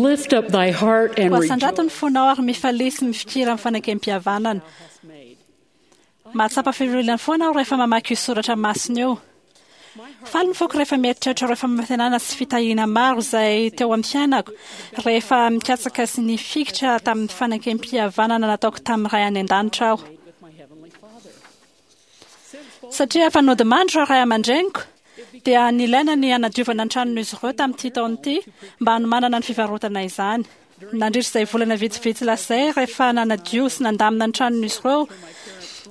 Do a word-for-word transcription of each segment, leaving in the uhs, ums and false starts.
Lift up thy heart and Koa asandrato ny rejoice fonao ary mifalia sy mifikira amin'ny fanekempihavanana. hast made. Mahatsapa fifaliana foana aho rehefa mamaky io soratra masina io. Faly ny foko rehefa mieritreritra ireo fampanantenana sy fitahiana maro izay teo amin'ny fiainako, rehefa mikatsaka sy nifikitra tamin'ny fanekempihavanana nataoko tamin'ny Ray any an-danitra aho. Made with my heavenly Father. Since Satria efa nodimandry ireo ray aman-dreniko, dia nilaina ny hanadiovana ny tranon'izy ireo tamin'ity taona ity mba hanomanana ny fivarotana izany. Nandritra izay volana vitsivitsy lasa izay, rehefa nanadio sy nandamina ny tranon'izy ireo,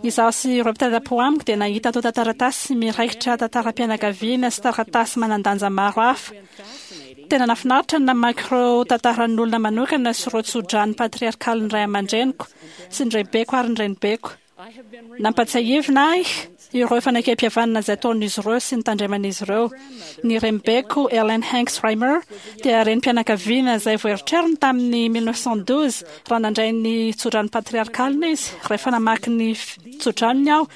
izaho sy ireo mpitarapo amiko dia nahita antontan-taratasy miraikitra tantaram-pianakaviana sy taratasy manan-danja maro hafa. fascinating Tena nahafinaritra ny namaky ireo tantaran'olona manokana sy ireo tsodrano patriarkalin'ny ray aman-dreniko sy ny raibeko ary ny renibeko. I have been Nampatsiahivina ahy ireo fanekempihavanana izay ataon'izy ireo sy ny tandreman'izy ireo. Ny renibeko Ellen Hanks Reimer dia renim-pianakaviana izay voaeritreriny tamin'ny mille neuf cent douze raha nandray ny tsodrano patriarkalina izy. Rehefa namaky ny f- tsodranony aho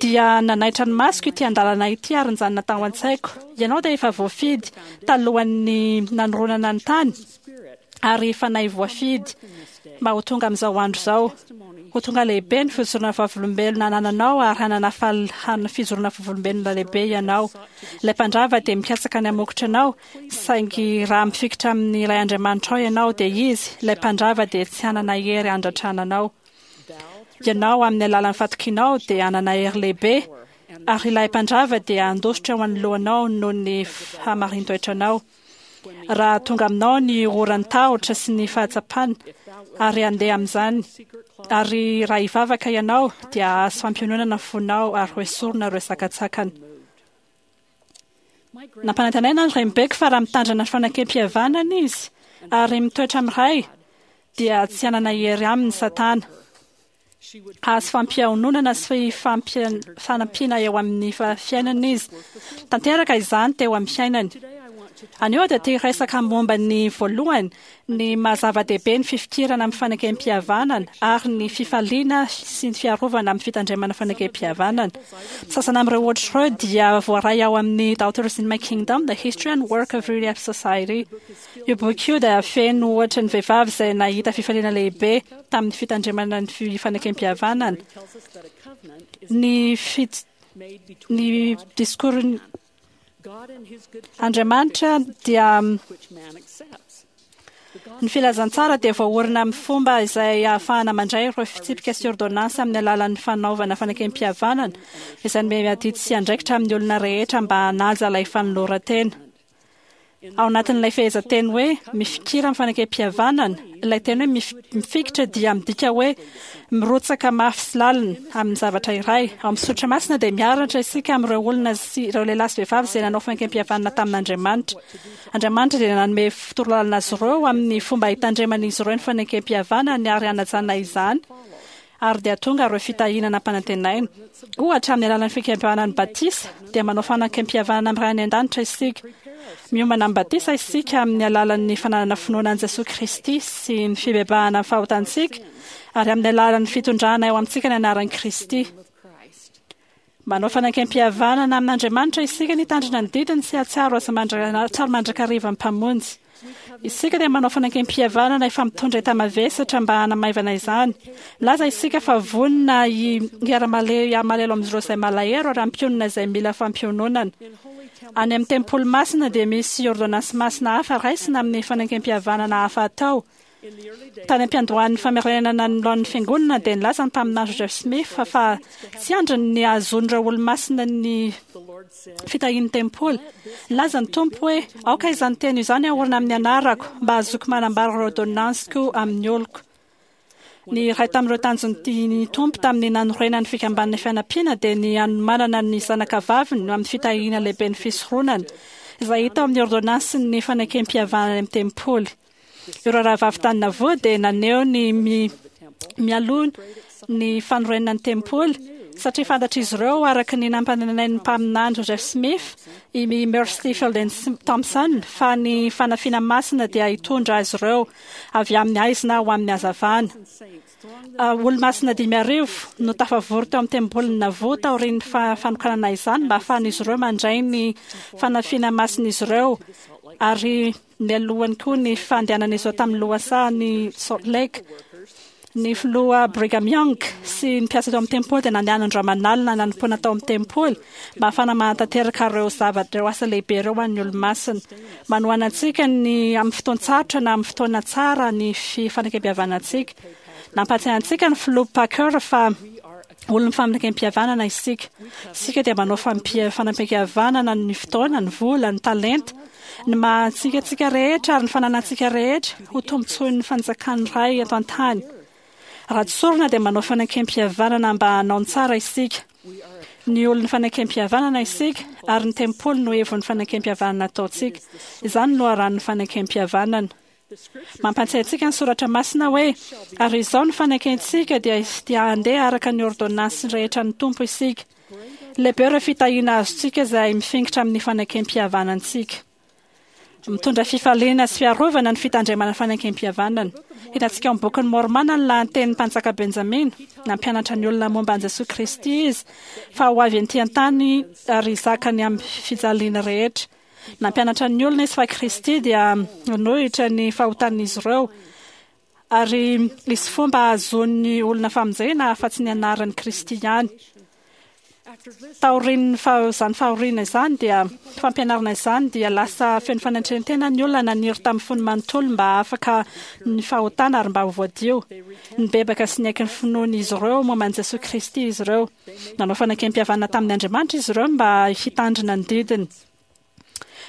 dia nanaitra ny masoko ity andalana ity ary nijanona tao an-tsaiko. Ianao dia efa voafidy talohan'ny nanoronana ny tany spirit ary fanahy voafidy mba ho tonga amin'izao andro izao. Ho tonga lehibe ny fijoroana vavolombelona anananao ary hanana fal- han- fijoroana vavolombelona lehibe ianao. Ilay mpandrava dia mikatsaka ny hamokotra anao, saingy raha mifikitra amin'ilay Andriamanitrao ianao dia izy, ilay mpandrava dia tsy hanana hery handratrana anao. thou Ianao amin'ny alalan'ny fatokianao dia hanana hery lehibe, ary ilay mpandrava dia handositra eo anoloanao noho ny fahamarin-toetranao. Raha tonga aminao ny oran'ny tahotra sy ny fahatsapana ary handeha amin'izany, ary raha hivavaka ianao dia hahazo fampiononana ny fonao ary ho esorina ireo sakantsakana. my grand Nampanantenaina ny renibeko fa raha mitandrina ny fanekempihavanana izy ary mitoetra amin'ny Ray dia tsy hanana hery aminy Satana. she would Hahazo fampiononana sy fampia- fanampiana eo amin'ny fa- fiainana izy. Tanteraka izany teo amin'ny fiainany. today I want to Anio aho dia te hiresaka momba ny voalohany, ny maha-zava-dehibe ny fifikirana amin'ny fanekempihavanana ary ny fifaliana sy ny fiarovana amin'ny fitandremana fanekempihavanana. Sasany amin'ireo ohatra ireo dia voaray ao amin'ny Daughters in My Kingdom, The History and Work of Relief Society. Io boky io dia feno ohatra ny vehivavy izay nahita fifaliana lehibe tamin'ny fitandremana ny fi- fanekempihavanana. tells us that a covenant is Ny fit- made between ny God discours God and his good Andriamanitra dia which man accepts. The Ny gospel filazantsara dia voaorina amin'ny fomba izay ahafahana mandray ireo fitsipika sy ordonnance amin'ny alalan'ny fanaovana fanekempihavanana izay nomena adidy sy andraikitra amin'ny olona rehetra mba hanaja ilay fanoloran-tena. Ao anatin'ilay fehezanteny hoe mifikira amin'ny fanekempihavanana, ilay teny hoe mif- mifikitra dia midika hoe mirotsaka mafy sy lalina amin'ny zavatra iray. Ao amin'ny soratra masina dia miaratra isika amin'ireo olona sy ireo lehilahy sy vehivavy izay nanao fanekempihavanana tamin'Andriamanitra. Andriamanitra dia nanome torolalana azy ireo amin'ny fomba hitandreman'izy ireo ny fanekempihavanany ary hanajana izany, ary dia tonga ireo fitahiana nampanantenaina. Ohatra, amin'ny alalan'ny fikempihavanana ny batisa dia manao fanekempihavanana amin'ny Ray any an-danitra isika. Miomana amin'ny batisa isika amin'ny alalan'ny fananana finoana an'i Jesoa Kristy sy ny fibebahana amin'ny fahotantsika ary amin'ny alalan'ny fitondrana eo amintsika ny anaran'i Kristy. of Christ. Manao fanekempihavanana amin'Andriamanitra isika ny hitandrina ny didiny sy hahatsiaro azy mandra- hahatsiaro mandrakariva ny Mpamonjy. Isika dia manao fanekempihavanana efa mitondra enta-mavesatra mba hanamaivana izany. Milaza isika fa vonona hi- hiara-male- hiara-malahelo amin'ireo izay malahelo ary hampionona izay mila fampiononana. In holy temple Any amin'ny tempoly masina dia misy ordonnance masina hafa raisina amin'ny fanekempihavanana hafa atao. in the early days Tany am-piandohan'ny famerenana ny laon'ny fiangonana dia nilaza ny mpaminany Joseph Smith fa fa tsy andriny ny hahazoan'ireo olo-masina ny the Lord said, fitahian'ny tempoly. Nilaza ny Tompo hoe aoka izany teny izany haorina amin'ny anarako mba hahazoako manambara ireo ordonnansiko amin'ny oloko. Ny iray tamin'ireo tanjon'ny Tompo tamin'ny nanorenany fikambanana fianampiana dia ny hanomanana ny zanaka vaviny amin'ny fitahiana lehibe ny fisoronana izay hita ao amin'ny ordonnansin'ny fanekempihavanana amin'ny tempoly. Ireo rahavavy tany Nauvoo dia naneho ny mi- mialoha ny fanorenana ny tempoly satria fantatr'izy ireo araka ny nampanantenain'ny mpaminany Joseph Smith i Mercy Fielding Thompson fa ny fanafiana masina dia hitondra azy ireo avy amin'ny haizina ho amin'ny hazavana. saints thronged Uh, Olo-masina dimy arivo no tafavory teo amin'ny tempolin'i Nauvoo taorian'ny fa- fanokanana izany mba ahafahan'izy ireo mandray ny fanafiana masin'izy ireo Ary mialohany koa ny fandehanan'izy ireo tamin'ny lohasahan'i Salt Lake, ny filoha Brigham Young sy ny mpiasa tao amin'ny tempoly dia nandeha andro aman'alina nanompoana tao amin'ny tempoly mba hahafahana manatanteraka ireo zavatra, ireo asa lehibe ireo ho an'ny olo-masina. Manohana antsika ny amin'ny fotoan-tsarotra na amin'ny fotoana tsara ny fifanekempihavanantsika. Nampahatsiahy antsika ny filoha Packer fa olon'ny fanekempihavanana isika. Isika dia manao fanekempihavanana ny fotoana, ny vola, ny talenta, ny maha antsika antsika rehetra ary ny fananantsika rehetra ho tombontsoin'ny fanjakan'ny Ray eto an-tany. Raha tsorina dia manao fanekempihavanana mba hanao ny tsara isika. Ny olon'ny fanekempihavanana isika ary ny tempoly no ivon'ny fanekempihavanana ataontsika. Izany no loharanon'ny fanekempihavanana. Mampahatsiahy antsika ny soratra masina hoe ary izao ny fanekentsika dia dia handeha araka ny ôrdônansy rehetra ny Tompo isika. Lehibe ireo fitahiana azontsika izay mifikitra amin'ny fanekempihavanantsika. Mitondra fifaliana sy fiarovana ny fitandremana fanekempihavanana. Hitantsika ao amin'ny bokin'i Môrmôna ny lahatenin'ny mpanjaka Benjamina. Nampianatra ny olona momba an'i Jesoa Kristy izy fa ho avy ety an-tany ary hizaka ny amin'ny fijaliana rehetra. Nampianatra ny olona izy fa Kristy dia nanohitra ny fahotan'izy ireo ary hisy fomba hahazoan'ny olona famonjena afa-tsy ny anaran'i Kristy ihany. Taorian'ny izany fahoriana izany dia fampianarana izany dia lasa feno fanetren-tena ny olona naniry tamin'ny fony manontolo mba afaka ny fahotana ary mba ho voadio. Nibebaka sy niaiky ny finoan'izy ireo momba an'i Jesoa Kristy izy ireo. Nanao fanekempihavanana tamin'ny Andriamanitra izy ireo mba hitandrina ny didiny.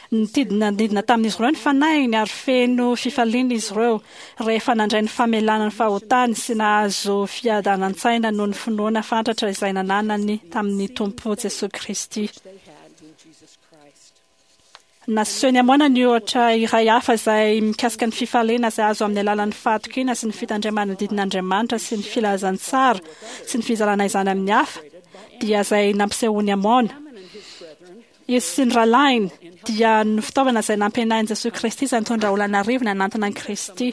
Nitidina nidina tamin'izy ireo ny fanahiny ary feno fifaliana izy ireo rehefa nandray ny famelana ny fahotany sy nahazo fiadanan-tsaina noho ny finoana fatratra izay nananany tamin'ny Tompo Jesoa Kristy. Nasehony Amôna ny ohatra iray hafa izay mikasika ny fifaliana izay azo amin'ny alalan'ny fahatokiana sy ny fitandremana ny didin'Andriamanitra sy ny filazantsara sy ny fizarana izany amin'ny hafa, dia izay nampisehoany Amôna. Izy sy ny rahalahiny dia ny fitaovana izay nampianain'i Jesoa Kristy izay nitondra olona an'arivony hanantona an'i Kristy.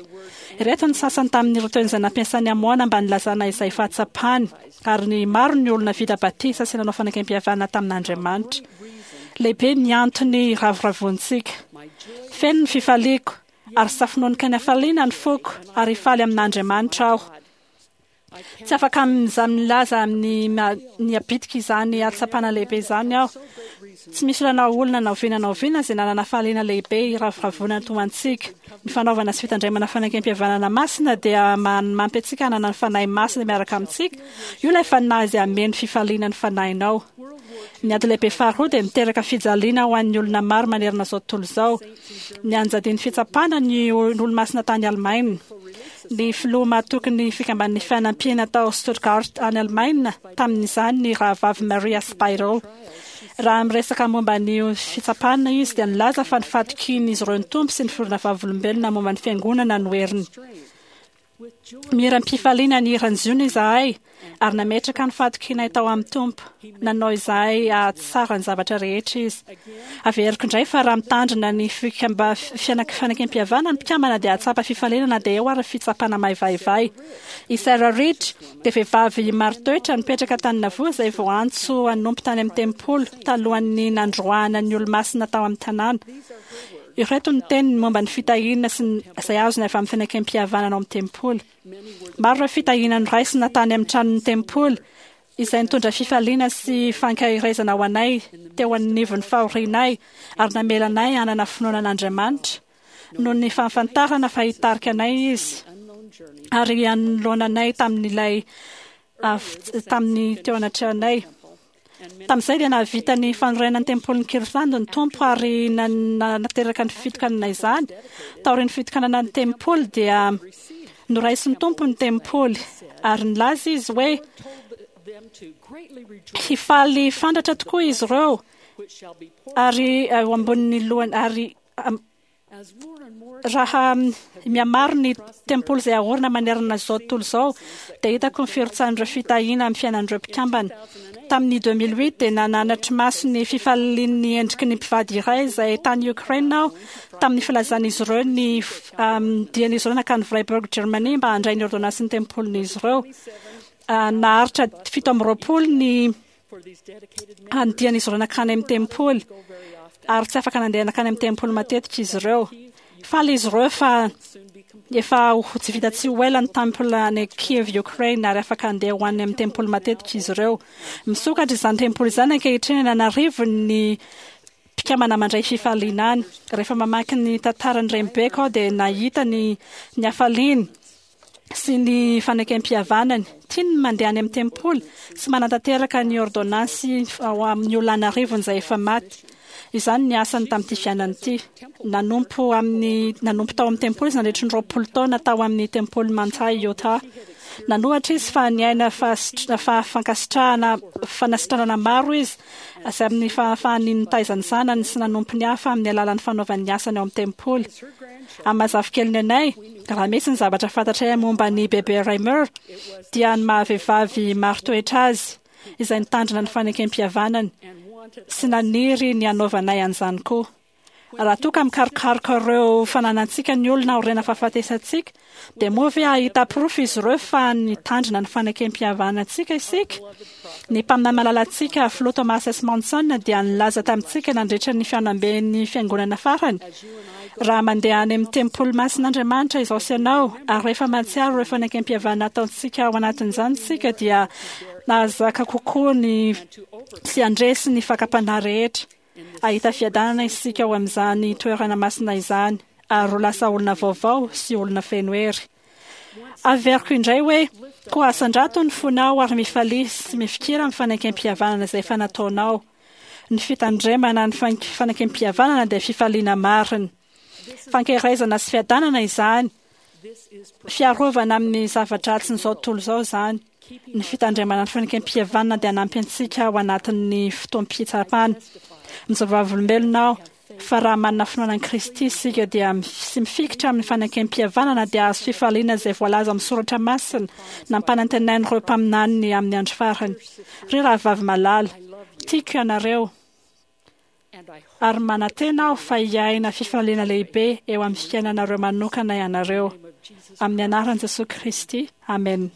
Ireto ny sasany tamin'ireo teny izay nampiasain'i Amôna mba nilazana izay fahatsapany, ary ny maro ny olona vita batisa sy nanao fanekempihavanana tamin'Andriamanitra. Lehibe ny antony iravoravoantsika. Feno ny fifaliako, ary safononoka ny hafaliana ny foko, ary hifaly amin'Andriamanitra aho. Tsy afaka milaza amin'ny ny habitika izany hatsapana lehibe izany aho. Tsy misy olona na olona na oviana na oviana izay nanana fahaliana lehibe hiravoravoana toa antsika. Ny fanaovana sy fitandremana fanekempihavanana masina dia manampy antsika hanana ny Fanahy Masina miaraka amintsika. Io ilay Fanahy izay hameno fifaliana ny fanahinao. Ny ady lehibe faharoa dia niteraka fijaliana ho an'ny olona maro manerana izao tontolo izao. Nianjadian'ny fitsapana ny olo-masina tany Alemaina. Ny filoha mahatoky ny fikamban'ny fanampiana tao Stuttgart any Alemaina tamin'izany ny rahavavy Maria Speidel. Raha miresaka momba ny fitsapana izy dia nilaza fa ny fahatokian'izy ireo ny Tompo sy ny fironana vavolombelona momba ny fiangonana no heriny. Mihira am-pifaliana ny hiran'i Ziona izahay ary nametraka ny fahatokianay tao amin'ny Tompo. Nanao izahay hahatsara ny zavatra rehetra izy. Averiko indray fa raha mitandrina ny fikamba fanekempihavanana ny mpikambana dia hahatsapa fifaliana na dia eo ary ny fitsapana maivaivay. I Sarah Reed dia vehivavy marin-toetra nipetraka tany Nauvoo izay voaantso hanompo tany amin'ny tempoly talohan'ny nandroahana ny olo-masina tao amin'ny tanàna. Ireto ny teniny momba ny fitahiana sy ny izay azony avy amin'ny fanekempihavanana ao amin'ny tempoly. Maro ireo fitahiana noraisina tany amin'ny tranon'ny tempoly izay nitondra fifaliana sy fankaherezana ho anay teo anivon'ny fahorianay ary namela anay hanana finoana an'Andriamanitra noho ny fahafantarana fa hitarika anay izy ary hanoloana anay tamin'ilay tamin'ny teo anatrehanay. Tamin'izay dia nahavita ny fanorenana ny tempolin'i Kirtland ny Tompo ary nanateraka ny fitokanana izany. Taorian'ny fitokanana ny tempoly dia noraisin'ny Tompo ny tempoly ary nilaza izy hoe hifaly fandratra tokoa izy ireo ary eo ambonin'ny lohany ary Raha mihamaro ny tempoly izay aorina manerana izao tontolo izao, dia hitako ny firotsahan'ireo fitahiana amin'ny fiainan'ireo mpikambana. Tamin'ny deux mille huit dia nanatri-maso ny fifalian'ny endriky ny mpivady iray izay tany Ukraine aho tamin'ny filazan'izy ireo ny dian'izy ireo nankany Freiburg, Germany mba handray ny ôrdônansin'ny tempolin'izy ireo. Naharitra fito amby roapolo ny dian'izy ireo nankany amin'ny tempoly. Ary tsy afaka nandeha nankany amin'ny tempoly matetika izy ireo. Faly izy ireo fa efa ho tsy vita tsy ho ela ny temple any Kiev, Ukraine, ary afaka handeha ho any amin'ny tempoly matetika izy ireo. Misokatra izany tempoly izany ankehitriny, an'arivony ny mpikambana mandray fifaliana any. Rehefa mamaky ny tantaran'ny renibeko aho dia nahita ny ny hafaliany sy ny fanekem-pihavanany. Tiany ny mandeha any amin'ny tempoly sy manatanteraka ny ôrdônansy ao amin'ny olona an'arivony izay efa maty. Izany ny asany tamin'ity fiainana ity. Nanompo amin'ny nanompo tao amin'ny tempoly izy nandritry ny roapolo taona tao amin'ny tempoly Manti, Utah. Nanohatra izy fa niaina fa fankasitrahana fanasitranana maro izy izay amin'ny fahafahany nitaiza ny zanany sy nanompo ny hafa amin'ny alalan'ny fanaovany ny asany ao amin'ny tempoly. Amin'ny maha zafikeliny anay, raha misy ny zavatra fantatray momba ny bebe Reimer dia ny maha-vehivavy maro toetra azy izay nitandrina ny fanekem-pihavanany sy naniry ny hanaovanay an'izany koa. Raha toa ka mikarokaroka ireo fananantsika ny olona aoriana fahafatesantsika, dia moa ve hahita porofo izy ireo fa nitandrina ny fanekem-pihavanantsika isika? Ny mpaminany malalantsika Filoha Thomas S. Monson dia nilaza tamintsika nandritra ny fihaonamben'ny fiangonana farany: raha mandeha any amin'ny tempoly masin'Andriamanitra izao sy ianao, ary rehefa mahatsiaro ireo fanekem-pihavanana ataontsika ao anatin'izany isika, dia nahazaka kokoa ny sy handresy ny fakam-panahy rehetra. Hahita fiadanana isika ao amin'izany toerana masina izany, ary ho lasa olona vaovao sy olona feno hery. Averiko indray hoe, koa asandrato ny fonao ary mifalia sy mifikira amin'ny fanekem-pihavanana izay efa nataonao. Ny fitandremana ny fanekem-pihavanana dia fifaliana marina. Fankerezana sy fiadanana izany, fiarovana amin'ny zava-dratsin'izao tontolo izao izany. Ny fitandremana ny fanekem-pihavanana dia hanampy antsika ao anatin'ny fotoam-pitsapana. Mijoro vavolombelona aho fa raha manana finoana an'i Kristy isika dia sy mifikitra amin'ny fanekem-pihavanana dia hahazo fifaliana izay voalaza amin'ny soratra masina nampanantenain'ireo mpaminaniny amin'ny andro farany. Ry rahavavy malala, tiako ianareo, ary manantena aho fa hiaina fifaliana lehibe eo amin'ny fiainanareo manokana ianareo. Amin'ny anaran'i Jesoa Kristy, amena.